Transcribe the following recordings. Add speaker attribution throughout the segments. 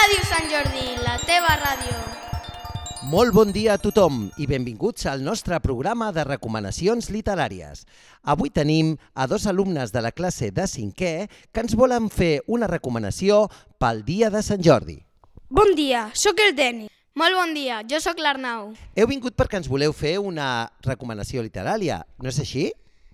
Speaker 1: Ràdio Sant Jordi, la teva ràdio.
Speaker 2: Molt bon dia a tothom i benvinguts al nostre programa de recomanacions literàries. Avui tenim a dos alumnes de la classe de 5è que ens volen fer una recomanació pel dia de Sant Jordi.
Speaker 3: Bon dia, sóc el Deni.
Speaker 1: Molt bon dia, jo sóc l'Arnau.
Speaker 2: Heu vingut perquè ens voleu fer una recomanació literària, no és així?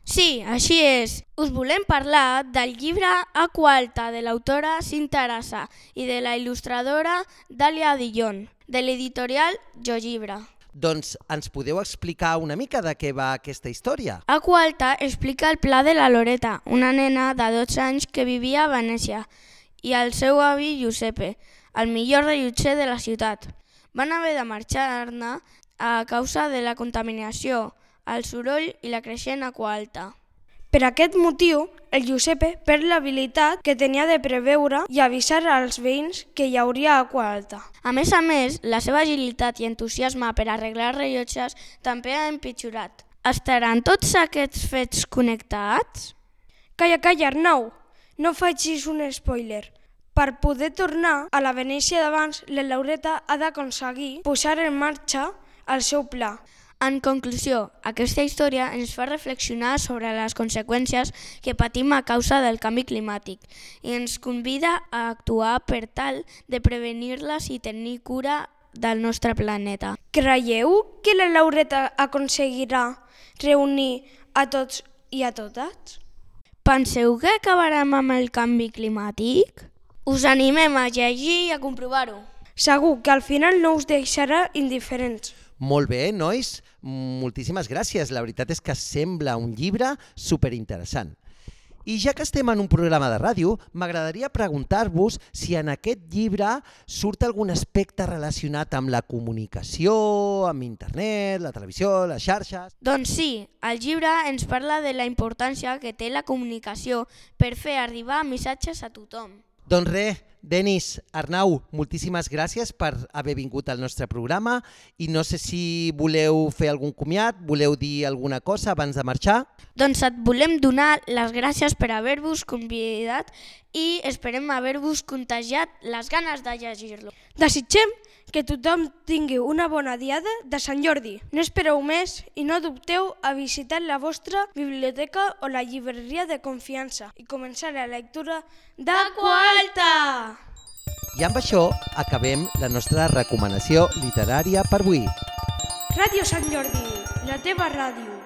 Speaker 1: Sí, així és. Us volem parlar del llibre Aqua Alta de l'autora Cinta Arasa i de la il·lustradora Dàlia Dillon, de l'editorial Jo Llibre.
Speaker 2: Doncs ens podeu explicar una mica de què va aquesta història?
Speaker 1: Aqua Alta explica el pla de la Loreta, una nena de 12 anys que vivia a Venècia, i el seu avi Giuseppe, el millor rellotger de la ciutat. Van haver de marxar-ne a causa de la contaminació, el soroll i la creixent aqua alta.
Speaker 3: Per aquest motiu, el Giuseppe perd l'habilitat que tenia de preveure i avisar als veïns que hi hauria aqua alta.
Speaker 1: A més, la seva agilitat i entusiasme per arreglar rellotges també ha empitjorat. Estaran tots aquests fets connectats?
Speaker 3: Calla, Arnau, no facis un spoiler. Per poder tornar a la Venècia d'abans, la Laureta ha d'aconseguir posar en marxa el seu pla.
Speaker 1: En conclusió, aquesta història ens fa reflexionar sobre les conseqüències que patim a causa del canvi climàtic i ens convida a actuar per tal de prevenir-les i tenir cura del nostre planeta.
Speaker 3: Creieu que la Laureta aconseguirà reunir a tots i a totes?
Speaker 1: Penseu que acabarem amb el canvi climàtic? Us animem a llegir i a comprovar-ho.
Speaker 3: Segur que al final no us deixarà indiferents.
Speaker 2: Molt bé, nois, moltíssimes gràcies. La veritat és que sembla un llibre superinteressant. I ja que estem en un programa de ràdio, m'agradaria preguntar-vos si en aquest llibre surt algun aspecte relacionat amb la comunicació, amb internet, la televisió, les xarxes.
Speaker 1: Doncs sí, el llibre ens parla de la importància que té la comunicació per fer arribar missatges a tothom.
Speaker 2: Doncs res, Denis, Arnau, moltíssimes gràcies per haver vingut al nostre programa i no sé si voleu fer algun comiat, voleu dir alguna cosa abans de marxar?
Speaker 1: Doncs et volem donar les gràcies per haver-vos convidat i esperem haver-vos contagiat les ganes de llegir-lo.
Speaker 3: Desitgem que tothom tingui una bona diada de Sant Jordi. No espereu més i no dubteu a visitar la vostra biblioteca o la llibreria de confiança i començar la lectura d'Aqua Alta!
Speaker 2: I amb això acabem la nostra recomanació literària per avui.
Speaker 3: Ràdio Sant Jordi, la teva ràdio.